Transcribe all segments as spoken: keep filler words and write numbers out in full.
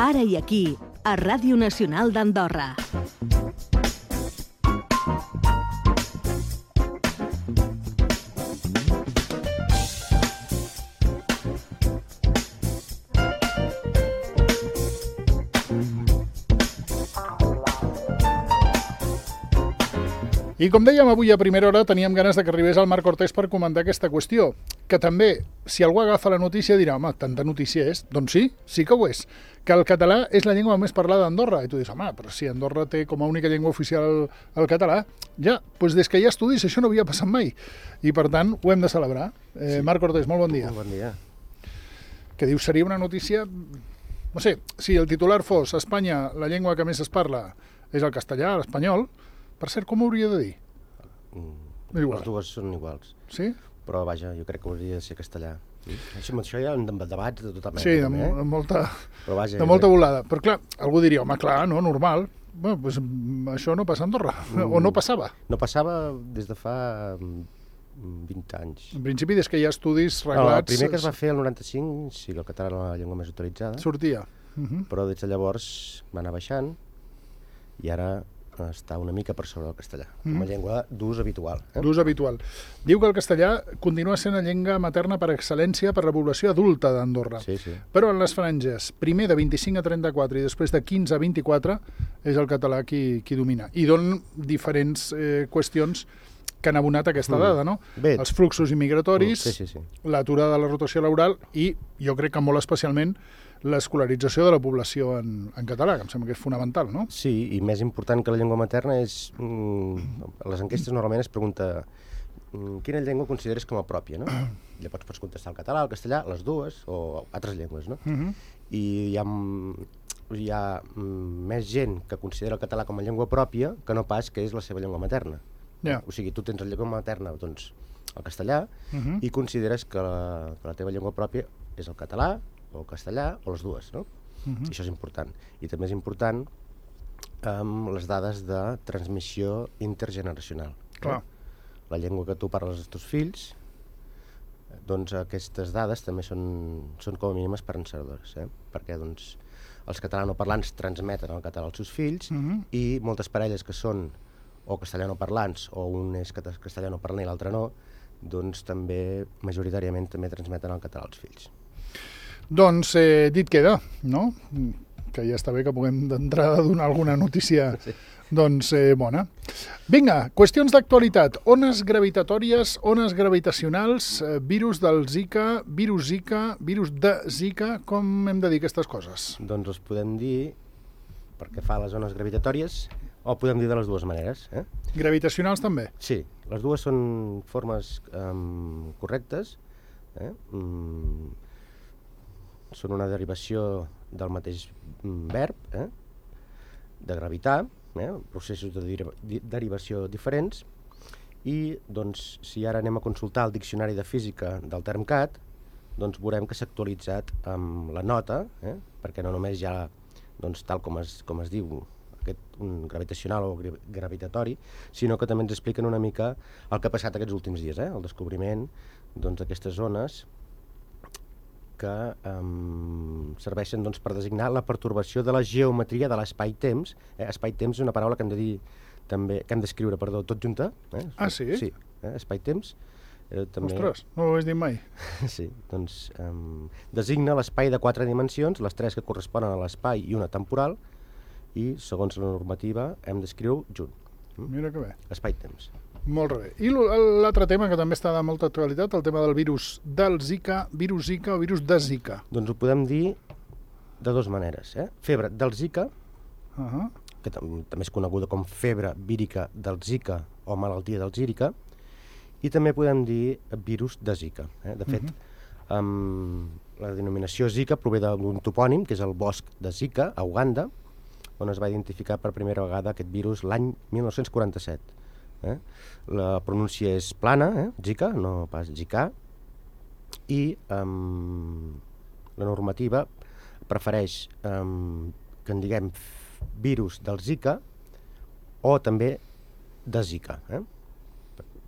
Ara i aquí, a Ràdio Nacional d'Andorra. I com dèiem avui a primera hora, teníem ganes de que arribés el Marc Cortés per comentar aquesta qüestió, que també, si algú agafa la notícia, dirà, home, tanta notícia és? Doncs sí, sí que ho és, que el català és la llengua més parlada a Andorra. I tu dius, home, però si Andorra té com a única llengua oficial el, el català, ja, doncs des que hi ha estudis això no havia passat mai. I per tant, ho hem de celebrar. Eh, sí. Marc Cortés, molt bon dia. Molt bon dia. Que dius, seria una notícia... No sé, si el titular fos Espanya, la llengua que més es parla és el castellà, l'espanyol. Per cert, com ho hauria de dir? Mm, les dues són iguals. Sí? Però, vaja, jo crec que hauria de ser castellà. Mm. Això, això hi ha debats de tota mena. Sí, de, també, eh? de molta, Però, vaja, de molta volada. Però, clar, algú diria, home, clar, no, normal. Bueno, pues, això no passa a Andorra. Mm. O no passava. No passava des de fa vint anys. En principi, des que hi ha estudis reglats... No, el primer que es va fer el noranta-cinc, sí que el català era la llengua més utilitzada. Sortia. Uh -huh. Però des de llavors va anar baixant i ara està una mica per sobre el castellà, com a mm. llengua d'ús habitual. Eh? D'ús habitual. Diu que el castellà continua sent la llengua materna per excel·lència per la població adulta d'Andorra. Sí, sí. Però en les franges, primer de vint-i-cinc a trenta-quatre i després de quinze a vint-i-quatre, és el català qui, qui domina. I donen diferents eh, qüestions que han abonat aquesta mm. dada, no? Bé. Els fluxos immigratoris, mm, sí, sí, sí. l'aturada de la rotació laboral i, jo crec que molt especialment, l'escolarització de la població en, en català, que em sembla que és fonamental, no? Sí, i més important que la llengua materna és... Mm, a les enquestes normalment es pregunta mm, quina llengua consideres com a pròpia, no? Llavors pots contestar el català, el castellà, les dues, o altres llengües, no? Uh -huh. I hi ha, hi ha mm, més gent que considera el català com a llengua pròpia que no pas que és la seva llengua materna. Yeah. O sigui, tu tens la llengua materna, doncs, el castellà, uh -huh. i consideres que la, que la teva llengua pròpia és el català, o el castellà, o les dues, no? Uh-huh. I això és important. I també és important amb um, les dades de transmissió intergeneracional. Clar. No? La llengua que tu parles als teus fills, doncs aquestes dades també són, són com a mínim esperançadores, eh? Perquè doncs, els catalanoparlants transmeten el català als seus fills uh-huh. i moltes parelles que són o castellanoparlants o un és castellanoparlant i l'altre no, doncs també majoritàriament també transmeten el català als fills. Doncs eh, dit queda, no? Que ja està bé que puguem d'entrada donar alguna notícia sí. doncs eh, bona. Vinga, qüestions d'actualitat. Ones gravitatòries, ones gravitacionals, eh, virus del Zika, virus Zika, virus de Zika, com hem de dir aquestes coses? Doncs els podem dir, perquè fa les ones gravitatòries, o podem dir de les dues maneres. Eh? Gravitacionals també? Sí, les dues són formes um, correctes, eh? Mm, són una derivació del mateix verb, eh? de gravitar, eh? processos de deriva derivació diferents, i doncs, si ara anem a consultar el diccionari de física del Termcat, doncs veurem que s'ha actualitzat amb la nota, eh? perquè no només hi ha, doncs, tal com es, com es diu, aquest, un gravitacional o gravitatori, sinó que també ens expliquen una mica el que ha passat aquests últims dies, eh? el descobriment d'aquestes doncs, zones que um, serveixen doncs, per designar la pertorbació de la geometria de l'espai-temps. Eh? Espai-temps és una paraula que hem de dir també, que hem d'escriure, perdó, tot junta. Eh? Ah, sí? Sí, eh? espai-temps. Eh, també... Ostres, no ho has dit mai. Sí, doncs um, designa l'espai de quatre dimensions, les tres que corresponen a l'espai i una temporal, i segons la normativa hem d'escriure junt. Mm? Mira que bé. Espai-temps. Molt bé. I l'altre tema que també està de molta actualitat, el tema del virus del Zika, virus Zika o virus de Zika. Doncs ho podem dir de dues maneres. Eh? Febre del Zika, uh -huh. que tam també és coneguda com febre vírica del Zika o malaltia del Zika, i també podem dir virus de Zika. Eh? De fet, uh -huh. um, la denominació Zika prové d'un topònim, que és el bosc de Zika, a Uganda, on es va identificar per primera vegada aquest virus l'any mil nou-cents quaranta-set. Eh? La pronúncia és plana, eh? Zika, no pas Zika, i um, la normativa prefereix um, que en diguem virus del Zika o també de Zika. Eh?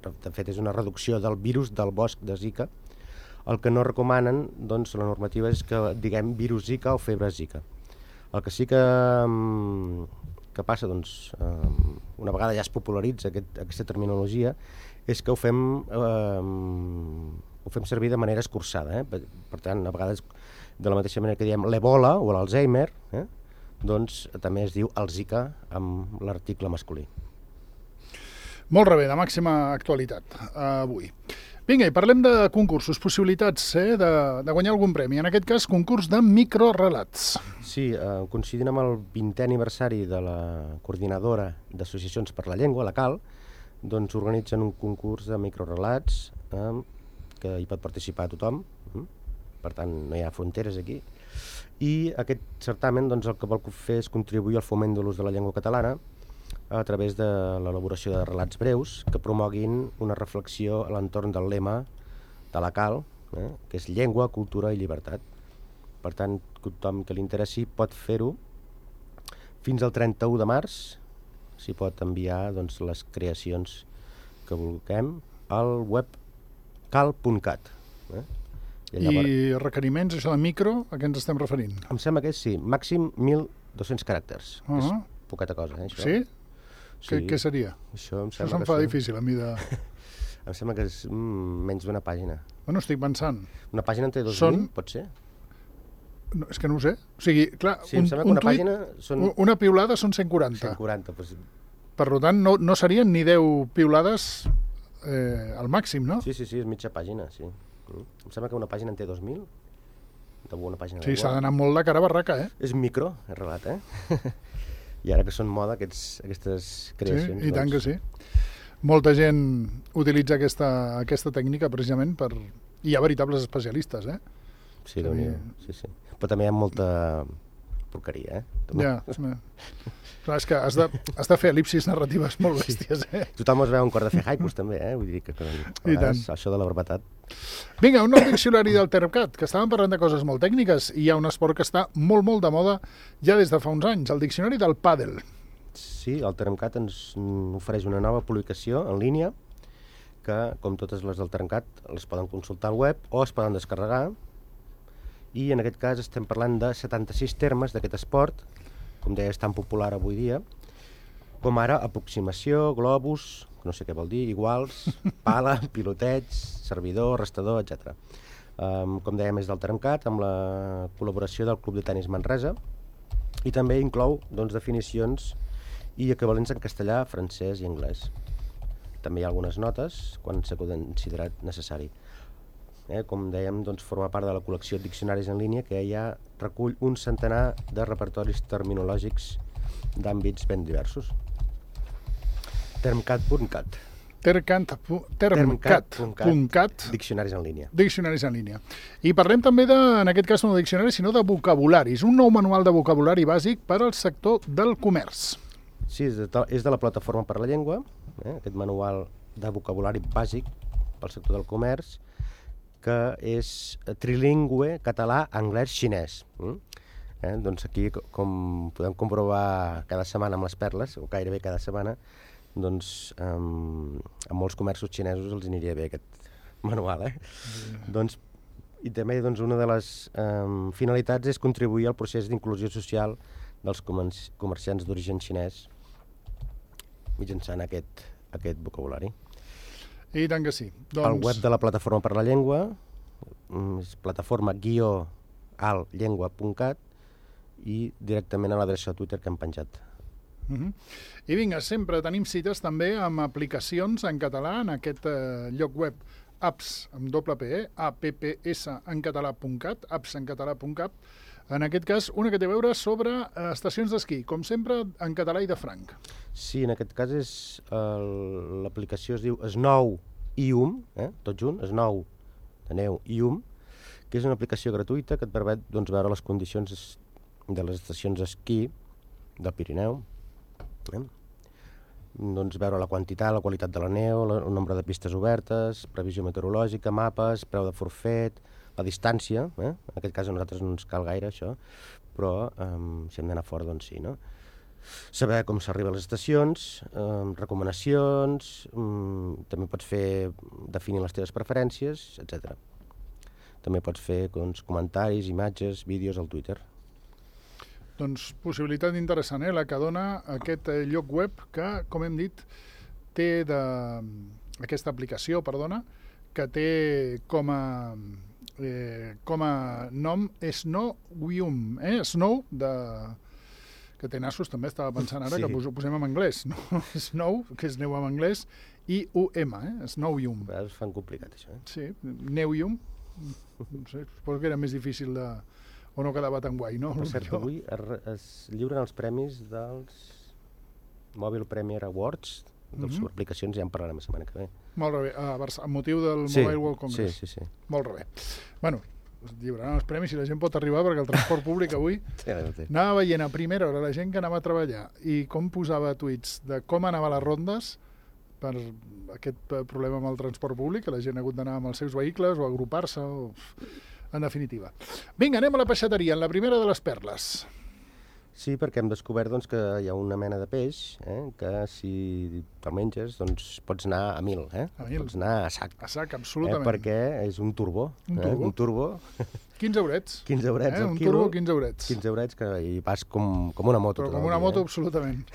De fet, és una reducció del virus del bosc de Zika. El que no recomanen, doncs, la normativa és que diguem virus Zika o febre Zika. El que sí que, que passa, doncs, una vegada ja es popularitza aquest, aquesta terminologia, és que ho fem, eh, ho fem servir de manera escurçada. Eh? Per, per tant, a vegades, de la mateixa manera que diem l'Ebola o l'Alzheimer, eh? doncs també es diu el Zika amb l'article masculí. Molt bé, de màxima actualitat uh, avui. Vinga, i parlem de concursos, possibilitats eh, de, de guanyar algun premi. En aquest cas, concurs de microrelats. Sí, eh, coincidint amb el vintè aniversari de la Coordinadora d'Associacions per la Llengua, la CAL, doncs organitzen un concurs de microrelats eh, que hi pot participar tothom, eh? Per tant no hi ha fronteres aquí. I aquest certamen doncs, el que vol fer és contribuir al foment de l'ús de la llengua catalana a través de l'elaboració de relats breus que promoguin una reflexió a l'entorn del lema de la CAL, eh, que és llengua, cultura i llibertat. Per tant, tothom que li interessi pot fer-ho fins al trenta-u de març, s'hi pot enviar doncs, les creacions que vulguem al web cal punt cat. Eh? I, llavors... I requeriments, això de micro, a què ens estem referint? Em sembla que és, sí, màxim mil dos-cents caràcters. Uh -huh. És poqueta cosa, eh, això. Sí? Sí. Què, què seria? Això em això se'm fa són... difícil a mi de... Em sembla que és mm, menys d'una pàgina. Bueno, estic pensant. Una pàgina en té dos són... mil, pot ser? No, és que no ho sé. O sigui, clar, sí, un, em sembla un que una tuit, pàgina són... una piulada són cent quaranta. cent quaranta, doncs... Per tant, no, no serien ni deu piulades eh, al màxim, no? Sí, sí, sí, és mitja pàgina, sí. Mm. Em sembla que una pàgina en té dos mil. Una pàgina sí, s'ha d'anar molt de cara a barraca, eh? És micro, és relat, eh? I ara que són moda aquests, aquestes creacions... Sí, i doncs... tant que sí. Molta gent utilitza aquesta, aquesta tècnica precisament per... I hi ha veritables especialistes, eh? Sí, també, sí, sí. Però també hi ha molta porqueria, eh? També. Ja, clar, és que has de, has de fer el·lipsis narratives molt bèsties, eh? Tothom es veu un cor de fer haikus, també, eh? Vull dir que, que I tant. Això de la brevetat. Vinga, un nou diccionari del Termcat, que estàvem parlant de coses molt tècniques i hi ha un esport que està molt, molt de moda ja des de fa uns anys, el diccionari del pàdel. Sí, el Termcat ens ofereix una nova publicació en línia que, com totes les del Termcat, les poden consultar al web o es poden descarregar. I en aquest cas estem parlant de setanta-sis termes d'aquest esport, com deia, és tan popular avui dia, com ara aproximació, globus, no sé què vol dir, iguals, pala, piloteig, servidor, restador, etcètera. Um, com dèiem, és del Termcat, amb la col·laboració del Club de Tenis Manresa, i també inclou doncs, definicions i equivalents en castellà, francès i anglès. També hi ha algunes notes quan s'ha considerat necessari. Eh, com dèiem, doncs, forma part de la col·lecció de diccionaris en línia que ja recull un centenar de repertoris terminològics d'àmbits ben diversos. Termcat punt cat. Termcat punt cat. Diccionaris en línia. Diccionaris en línia. I parlem també, de, en aquest cas, no de diccionaris, sinó de vocabularis. Un nou manual de vocabulari bàsic per al sector del comerç. Sí, és de, és de la Plataforma per la Llengua, eh, aquest manual de vocabulari bàsic pel sector del comerç, que és trilingüe, català, anglès, xinès. Mm? Eh, doncs aquí, com podem comprovar cada setmana amb les perles, o gairebé cada setmana, doncs um, a molts comerços xinesos els aniria bé aquest manual. Eh? Mm. Doncs, I també doncs, una de les um, finalitats és contribuir al procés d'inclusió social dels comerciants d'origen xinès mitjançant aquest, aquest vocabulari. I tant que sí. Doncs... El web de la Plataforma per la Llengua és plataforma guió alt llengua punt cat i directament a l'adreça de Twitter que hem penjat. Uh -huh. I vinga, sempre tenim cites també amb aplicacions en català en aquest eh, lloc web apps amb doble P, eh? apps en català punt cat, apps en català punt cat. En aquest cas, una que té a veure sobre eh, estacions d'esquí, com sempre en català i de franc. Sí, en aquest cas és l'aplicació es diu Snow i Um, eh? tot junt, Snow de neu i Um, que és una aplicació gratuïta que et permet doncs, veure les condicions de les estacions d'esquí del Pirineu, eh? doncs veure la quantitat, la qualitat de la neu, el nombre de pistes obertes, previsió meteorològica, mapes, preu de forfet, la distància, eh? En aquest cas a nosaltres no ens cal gaire això, però eh, si hem d'anar fora, doncs sí, no? Saber com s'arriba a les estacions, eh, recomanacions, eh, també pots fer definir les teves preferències, etcètera. També pots fer doncs, comentaris, imatges, vídeos al Twitter. Doncs possibilitat interessant, eh? La que dona aquest eh, lloc web que, com hem dit, té de... aquesta aplicació, perdona, que té com a, eh, com a nom Snowium, eh? Snow, de... que té nassos també, estava pensant ara, sí. que ho posem en anglès, no? Snow, que és neu en anglès, i U M, eh? Snowium. A vegades fan complicat, això, eh? Sí, Neuium, no sé, suposo que era més difícil de... o no quedava tan guai, no? Per cert, avui es, es lliuren els premis dels Mobile Premier Awards, de les mm-hmm. aplicacions, ja en parlarem la setmana que ve. Molt bé, a Barça, amb motiu del sí, Mobile World Congress. Sí, sí, sí. Molt bé. Bueno, es lliuraran els premis i la gent pot arribar, perquè el transport públic avui sí, sí. anava veient a primera hora la gent que anava a treballar i com posava tuits de com anava a les rondes per aquest problema amb el transport públic, que la gent ha hagut d'anar amb els seus vehicles o agrupar-se, o... en definitiva. Vinga, anem a la peixateria, en la primera de les perles. Sí, perquè hem descobert doncs, que hi ha una mena de peix eh, que si te'l menges doncs, pots anar a mil, eh? A mil. Pots anar a sac. A sac, absolutament. Eh, perquè és un turbo. Un eh? turbo. Un turbo. quinze eurets. quinze eurets eh? al un quilo. Un turbo, quinze eurets. quinze eurets que hi vas com, com una moto. Però com una moto, eh? Absolutament.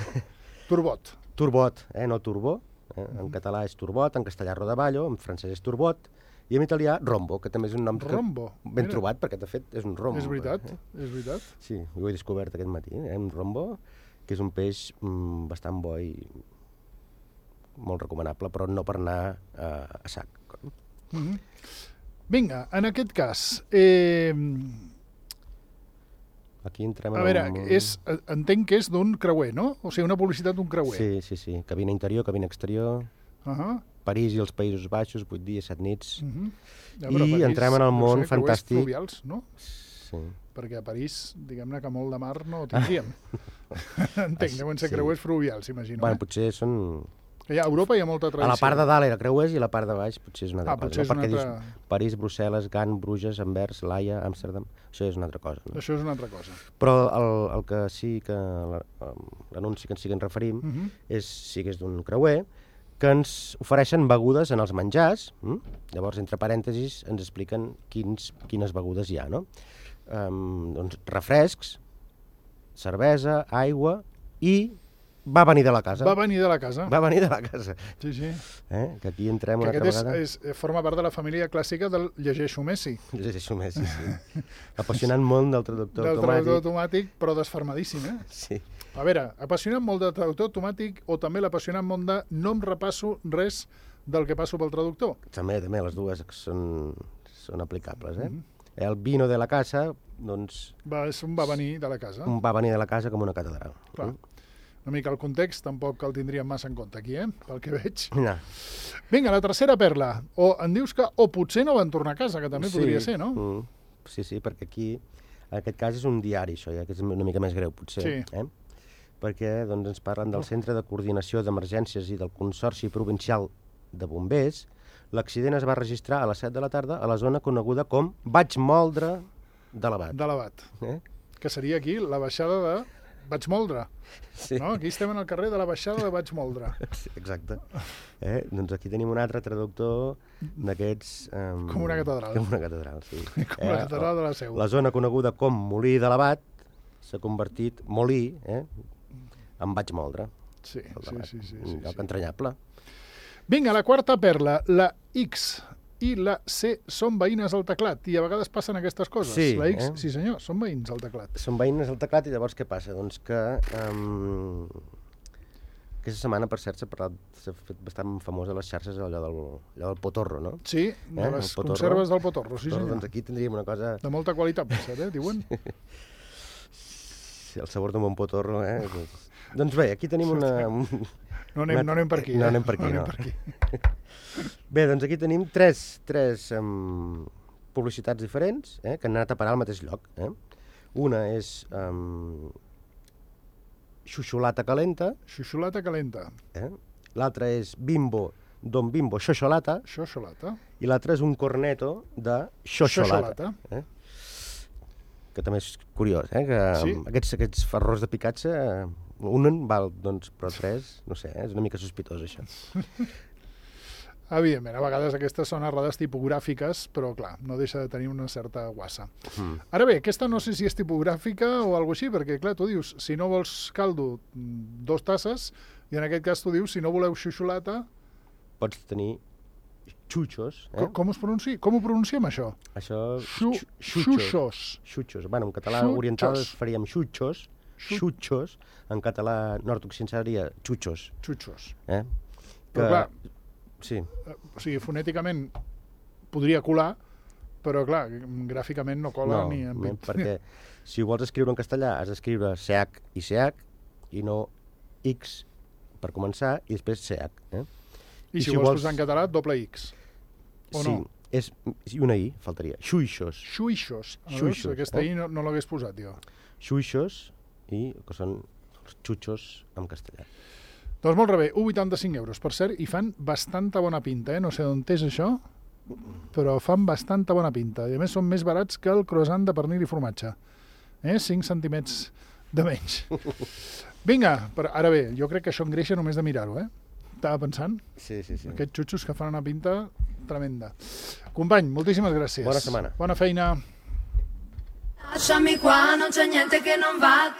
Turbot. Turbot, eh? No turbo. Eh? En català és turbot, en castellà rodaballo, en francès és turbot, i en italià rombo, que també és un nom rombo. ben Mira. trobat, perquè de fet és un rombo. És veritat, eh? és veritat. Sí, ho he descobert aquest matí, eh? Un rombo, que és un peix mm, bastant bo i molt recomanable, però no per anar eh, a sac. Mm-hmm. Vinga, en aquest cas... Eh... Aquí entrem a en veure, un... és, entenc que és d'un creuer, no? O sigui, una publicitat d'un creuer. Sí, sí, sí. Cabina interior, cabina exterior... Uh-huh. París i els Països Baixos, vuit dies, set nits. Uh-huh. Ja, I París, entrem en el món sé, fantàstic... fluvials, no? Sí. Perquè a París, diguem-ne que molt de mar no tindríem. Entenc, deuen ser sí. creuers fluvials, imagino. Bueno, eh? potser són... Ja, a Europa hi ha molta tradició. A la part de dalt era creuers i a la part de baix potser és una altra ah, cosa. Potser no? és Perquè una altra... dius París, Brussel·les, Gant, Bruges, Anvers, Laia, Amsterdam... Això és una altra cosa. No? Això és una altra cosa. Però el, el que sí que... l'anunci que ens sí que ens referim uh-huh. és, sí que és d'un creuer, que ens ofereixen begudes en els menjars. Hm? Llavors, entre parèntesis, ens expliquen quins, quines begudes hi ha, no? Um, doncs refrescs, cervesa, aigua i va venir de la casa. Va venir de la casa. Va venir de la casa. Sí, sí. Eh? Que aquí entrem que una altra és, vegada. És, forma part de la família clàssica del llegeixo Messi. Llegeixo Messi, sí. Apassionant món del traductor del automàtic. Del traductor automàtic, però desfermadíssim, eh? Sí. A veure, apassionant molt del traductor automàtic o també l'apassionant món de no em repasso res del que passo pel traductor? També, també, les dues són, són aplicables, eh? Mm-hmm. El vino de la casa, doncs... Va, és un va venir de la casa. Un va venir de la casa com una catedral. Clar. Mm? Una mica el context tampoc el tindríem massa en compte aquí, eh? Pel que veig. No. Vinga, la tercera perla. O em dius que o potser no van tornar a casa, que també sí. podria ser, no? Mm. Sí, sí, perquè aquí, en aquest cas, és un diari, això, ja, que és una mica més greu, potser. Sí. Eh? Perquè doncs, ens parlen del Centre de Coordinació d'Emergències i del Consorci Provincial de Bombers. L'accident es va registrar a les set de la tarda a la zona coneguda com Vaig Moldre de l'Abat. De l'Abat. Eh? Que seria aquí la baixada de Vaig Moldre. Sí. No? Aquí estem en el carrer de la baixada de Vaig Moldre. Sí, exacte. Eh? Doncs aquí tenim un altre traductor d'aquests... Um, com una catedral. Com una catedral, sí. Com eh? la catedral de la Seu. La zona coneguda com Molí de l'Abat s'ha convertit, Molí, eh? en Vaig Moldre. Sí, sí, sí, sí, sí, Lloc sí. entranyable. Vinga, la quarta perla, la X i la C són veïnes al teclat, i a vegades passen aquestes coses. Sí, la X, eh? sí senyor, són veïns al teclat. Són veïnes al teclat i llavors què passa? Doncs que um, aquesta setmana, per cert, s'ha parlat, s'ha fet bastant famós a les xarxes allò del, allò del potorro, no? Sí, de eh? les conserves del potorro, sí senyor. Doncs aquí tindríem una cosa... De molta qualitat, per cert, eh, diuen? Sí, el sabor d'un bon potorro, eh? Doncs, doncs bé, aquí tenim una... No anem, no anem per aquí, no eh? anem per aquí, no. no. Anem per aquí. Bé, doncs aquí tenim tres, tres um, publicitats diferents eh, que han anat a parar al mateix lloc. Eh? Una és um, Xuxolata Calenta. Xuxolata Calenta. Eh? L'altra és Bimbo, Don Bimbo Xoxolata. Xoxolata. I l'altra és un corneto de Xoxolata. Eh? Que també és curiós, eh? Que sí. aquests, aquests ferrors de picatge, un en val, doncs, però tres, no sé, eh? És una mica sospitós, això. Evidentment, a vegades aquestes són errades tipogràfiques, però clar, no deixa de tenir una certa guassa. Mm. Ara bé, aquesta no sé si és tipogràfica o alguna així, perquè clar, tu dius, si no vols caldo, dos tasses, i en aquest cas tu dius, si no voleu xuxolata... Pots tenir xutxos. Eh? Com, com, es pronunci? Com ho pronunciem, això? Això... Xu, xuxos. Xuxos. Bueno, en català Xutxos. oriental faríem xutxos. Xutxos. En català nord-occidental seria xutxos. Xutxos. Eh? Que... Però clar, sí. O sigui, fonèticament podria colar, però clar, gràficament no cola no, ni en No, perquè si ho vols escriure en castellà has d'escriure C H i C H i no X per començar i després C H. Eh? I, I si, si ho vols posar en català, doble X. O sí, no? És, i una I faltaria. Xuixos. Xuixos. Xuixos. Aquesta eh? I no, no l'hagués posat, jo. Xuixos i que són els xutxos en castellà. Doncs molt bé, un coma vuitanta-cinc euros. Per cert, i fan bastanta bona pinta, eh? No sé d'on és això, però fan bastanta bona pinta. I a més són més barats que el croissant de pernil i formatge. Eh? cinc centímetres de menys. Vinga, però ara bé, jo crec que això engreixa només de mirar-ho, eh? Estava pensant. Sí, sí, sí. Aquests xutxos que fan una pinta tremenda. Company, moltíssimes gràcies. Bona setmana. Bona feina. Lasciami qua, non c'è niente che non va.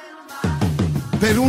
Per un